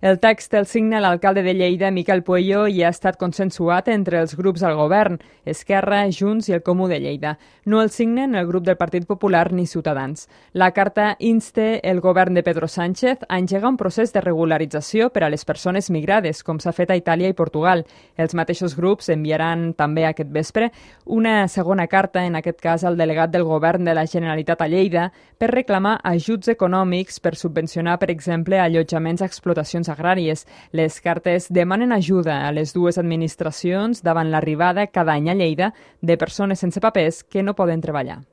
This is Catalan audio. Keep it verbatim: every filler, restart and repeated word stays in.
El text el signa l'alcalde de Lleida, Miquel Pueyo, i ha estat consensuat entre els grups al govern, Esquerra, Junts i el Comú de Lleida. No el signen el grup del Partit Popular ni Ciutadans. La carta insta el govern de Pedro Sánchez a engegar un procés de regularització per a les persones migrades, com s'ha fet a Itàlia i Portugal. Els mateixos grups enviaran també aquest vespre una segona carta, en aquest cas al delegat del govern de la Generalitat a Lleida, per reclamar ajuts econòmics per subvencionar, per exemple, allotjaments a explotacions agràries. Les cartes demanen ajuda a les dues administracions davant l'arribada cada any a Lleida de persones sense papers que no poden treballar.